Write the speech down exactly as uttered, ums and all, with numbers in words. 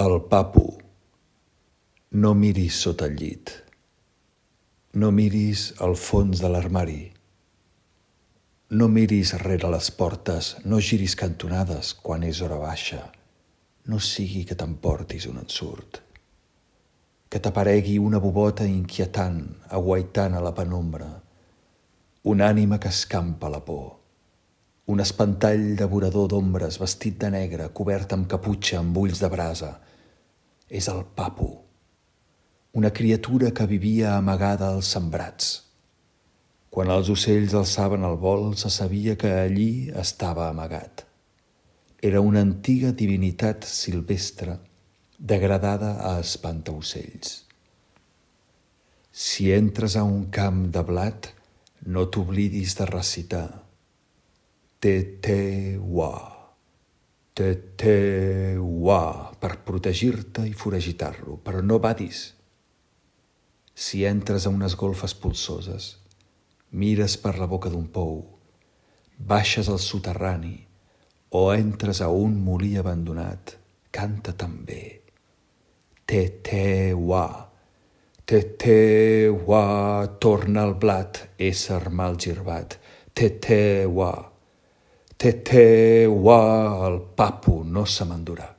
El papu. No miris sota el llit. No miris al fons de l'armari. No miris rere les portes, no giris cantonades quan és hora baixa. No sigui que t'emportis un ensurt. Que t'aparegui una bubota inquietant, aguaitant a la penombra. Una ànima que escampa la por. Un espantall devorador d'ombres vestit de negre, cobert amb caputxa, amb ulls de brasa. És el papu. Una criatura que vivia amagada als sembrats. Quan els ocells alçaven el vol, se sabia que allí estava amagat. Era una antiga divinitat silvestre, degradada a espantaocells. Si entres a un camp de blat, no t'oblidis de recitar Te-te-wa, te-te-wa, per protegir-te i foragitar-lo, però no badis. Si entres a unes golfes polsoses, mires per la boca d'un pou, baixes al soterrani o entres a un molí abandonat, canta també. Te-te-wa, te-te-wa, torna al blat, ésser mal girbat. Te-te-wa, te-te-wa, el papu no se m'endurà.